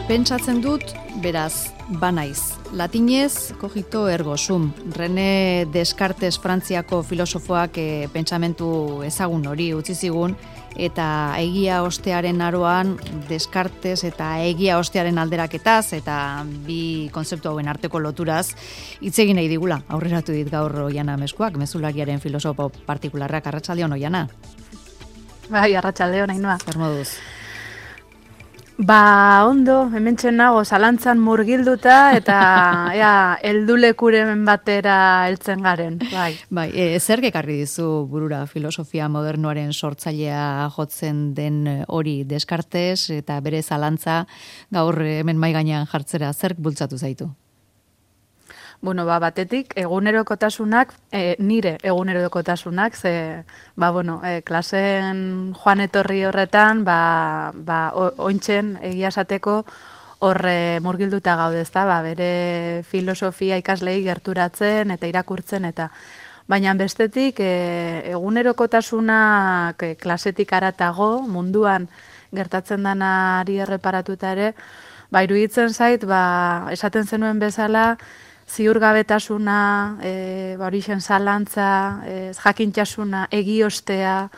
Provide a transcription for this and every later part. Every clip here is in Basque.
Pentsatzen dut, beraz, banaiz. Latinez, cogito ergo sum. René Descartes Frantziako filosofoak pentsamentu ezagun hori utzi zigun, eta egia ostearen aroan Descartes eta egia ostearen alderaketaz, eta bi kontzeptu hauen arteko loturaz, hitz egin nahi digula. Aurreratu dit gaur Oiana Meskuak, mezulariaren filosofo partikularrak. Arratsaldeon, Oiana. Bai, arratsaldeon, Ainhoa. Zer moduz? Ondo, hementsen nago zalantzan murgilduta eta heldulekuren batera heltzen garen. Bai, zer ekarri dizu burura filosofia modernoaren sortzailea jotzen den hori Descartes eta bere zalantza gaur hemen mahai gainean jartzera zerk bultzatu zaitu? Bueno, batetik egunerokotasunak, nire egunerokotasunak, klasen joan etorri horretan, ointzen egia esateko horre murgilduta gaude, ezta, bere filosofia ikaslei gerturatzen eta irakurtzen eta baina bestetik egunerokotasunak klasetik haratago munduan gertatzen denari erreparatuta ere, iruditzen zait, esaten zenuen bezala, ziurgabetasuna, horixen zalantza, jakintasuna, egiostea,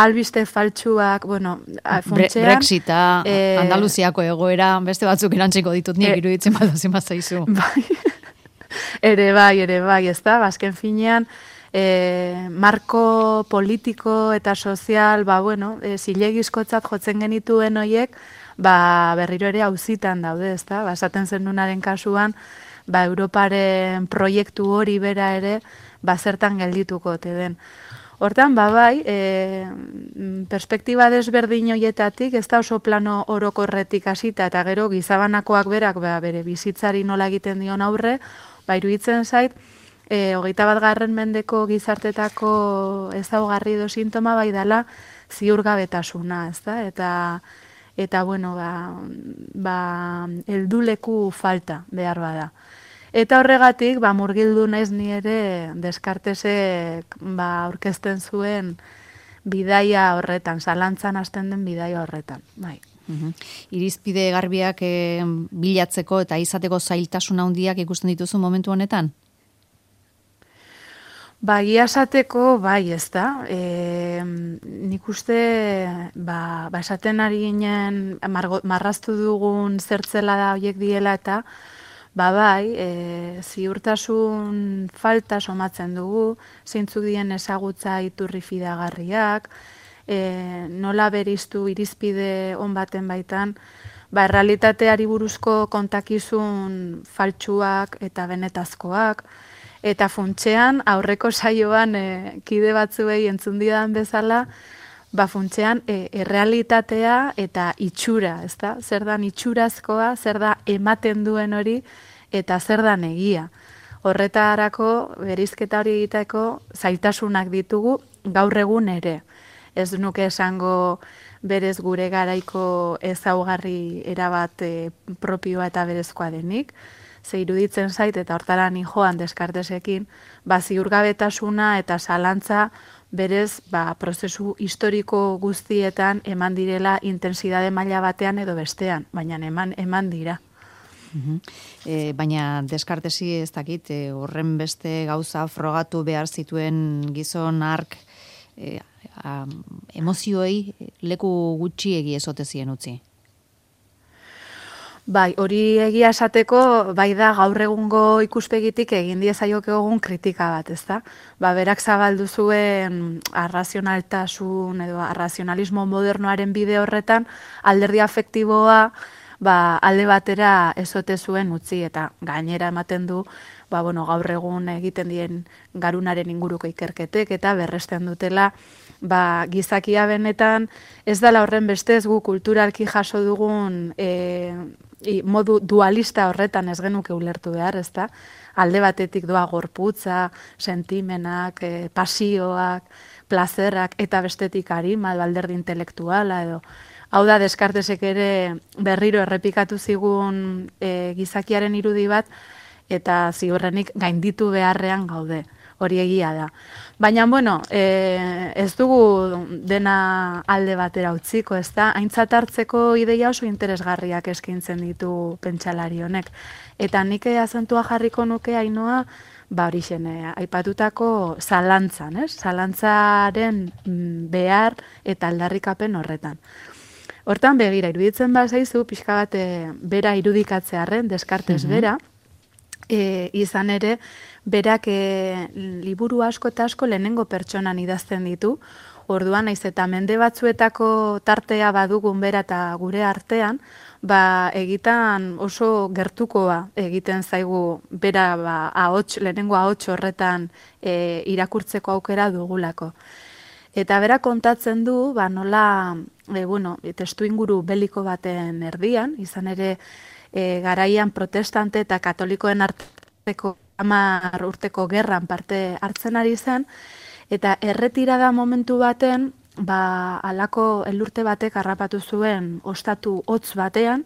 albiste faltsuak, funtsean... Brexita, Andaluziako egoera, beste batzuk erantziko ditut nik iruditzen zaizu. Ere bai, ez da, azken finean, marko politiko eta sozial, zilegizkotzat jotzen genituen hoiek, berriro ere auzitan daude, ez da, esaten zenunaren kasuan, Europaren proiektu hori bera ere, zertan geldituko ote den. Hortan, perspektiba desberdin hoietatik, ez da oso plano orokorretik hasita eta gero gizabanakoak berak bere bizitzari nola egiten dion aurre, iruditzen zait, 21. mendeko gizartetako ezaugarri edo sintoma dela ziurgabetasuna, ez da? Eta helduleku falta behar bada. Eta horregatik, murgildu naiz ni ere Descartesek aurkezten zuen bidaia horretan, zalantzan hasten den bidaia horretan, bai. Irizpide garbiak bilatzeko eta izateko zailtasuna handiak ikusten dituzu momentu honetan? Egia esateko, ez da. Nik uste, esaten ari ginen, marraztu dugun zertzela da horiek diela eta, ziurtasun falta somatzen dugu, zeintzuk dien ezagutza iturri fidagarriak, nola beriztu irizpide on baten baitan, errealitateari buruzko kontakizun faltsuak eta benetazkoak, eta funtsean, aurreko saioan kide batzuei entzun didan bezala, funtsean errealitatea eta itxura, ezta? Zer da itxurazkoa, zer da ematen duen hori, eta zer da egia. Horretarako, berizketa hori egiteko, zailtasunak ditugu gaur egun ere. Ez nuke esango berez gure garaiko ezaugarri erabat propioa eta berezkoa denik, ze iruditzen zait eta hortara ni joan Descartesekin, ziurgabetasuna eta zalantza berez prozesu historiko guztietan eman direla intensidade maila batean edo bestean, baina eman dira. Baina Descartesi ez dakit, horren beste gauza frogatu behar zituen gizon hark emozioei leku gutxiegi ezote zien utzi. Hori egia esateko, da gaur egungo ikuspegitik egin diezaiok egun kritika bat, ezta? Berak zabaldu zuen arrazionaltasun edo arrazionalismo modernoaren bide horretan, alderdi afektiboa alde batera ezote zuen utzi eta gainera ematen du, gaur egun egiten dien garunaren inguruko ikerketek eta berresten dutela, gizakia benetan ez dela horren bestez gu kulturalki jaso dugun modu dualista horretan ez genuke ulertu behar, ezta? Alde batetik doa gorputza, sentimenak, pasioak, plazerrak eta bestetik arima, alderdi intelektuala edo. Hau da, Descartesek ere berriro errepikatu zigun gizakiaren irudi bat eta ziurrenik gainditu beharrean gaude. hori egia da. Baina, bueno, ez dugu dena alde batera utziko, ez da? Aintzat hartzeko ideia oso interesgarriak eskaintzen ditu pentsalari honek. Eta nik azentua jarriko nuke Ainoa, horixen, aipatutako zalantzan, ez? Zalantzaren behar eta aldarrikapen horretan. Hortan begira, iruditzen bazaizu, pixka bat bera irudikatzearren, Descartes bera, izan ere, berak liburu asko eta asko lehenengo pertsonan idazten ditu, orduan naiz eta mende batzuetako tartea badugun bera eta gure artean, egitan oso gertukoa egiten zaigu bera lehenengo ahots horretan irakurtzeko aukera dugulako. Eta bera kontatzen du, nola, testu inguru beliko baten erdian, izan ere garaian protestante eta katolikoen arteko 10 urteko gerran parte hartzen ari zen, eta erretirada momentu baten, halako elurte batek harrapatu zuen ostatu hotz batean,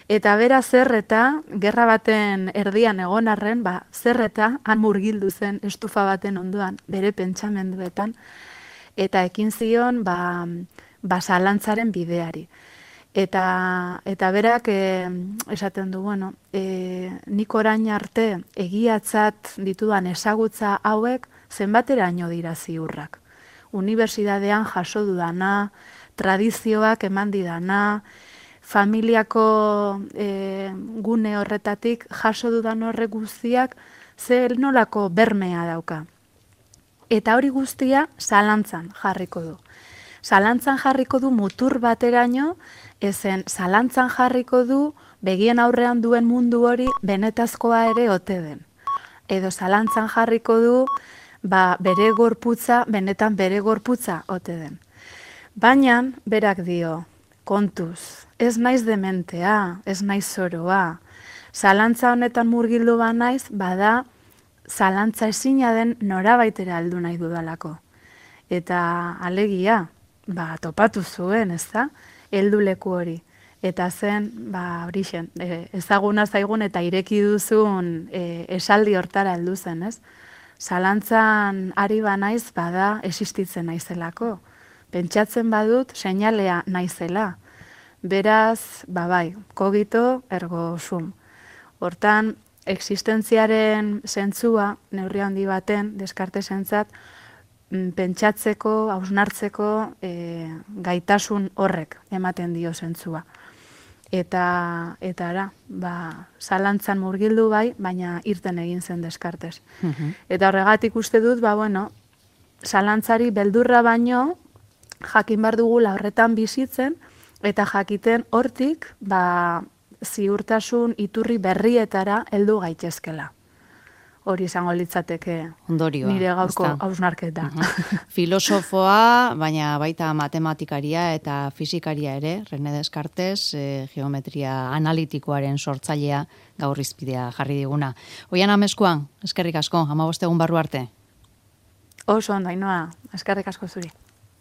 eta bera zerreta, gerra baten erdian egon arren, zerreta han murgildu zen estufa baten ondoan, bere pentsamenduetan, eta ekin zion zalantzaren bideari. Eta berak esaten du, nik orain arte egiatzat ditudan ezagutza hauek zenbateraino dira ziurrak. Unibertsitatean jaso dudana, tradizioak eman didana, familiako gune horretatik jaso dudan horrek guztiak zer nolako bermea dauka. Eta hori guztia zalantzan jarriko du. Zalantzan jarriko du mutur bateraino, ezen zalantzan jarriko du begien aurrean duen mundu hori benetazkoa ere ote den. Edo zalantzan jarriko du bere gorputza, benetan bere gorputza ote den. Baina, berak dio, kontuz, ez naiz dementea, ez naiz zoroa. Zalantza honetan murgildu naiz, bada zalantza ezina den norabaitera heldu nahi dudalako. Eta alegia, topatu zuen, ez da, heldu leku hori. Eta zen, horixen, ezaguna zaigun eta ireki duzun esaldi hortara heldu zen, ez? Zalantzan ari naiz, bada existitzen naizelako. Pentsatzen badut, seinalea naizela. Beraz, kogito ergo sum. Hortan, existentziaren zentzua, neurri handi baten, Descartesentzat, pentsatzeko, hausnartzeko gaitasun horrek ematen dio zentzua. Eta zalantzan murgildu baina irten egin zen Descartes. Eta horregatik uste dut, zalantzari beldurra baino, jakin bar dugula horretan bizitzen, eta jakiten hortik, ziurtasun iturri berrietara heldu gaitezkela. Hori izango litzateke ondorioa, nire gaurko hausnarketa. Filosofoa, baina baita matematikaria eta fizikaria ere, René Descartes, geometria analitikoaren sortzailea gaur hizpidea jarri diguna. Oian Amezkoan, eskerrik asko, 15 egun barru arte. Oso ondo, Ainoa, eskerrik asko zuri.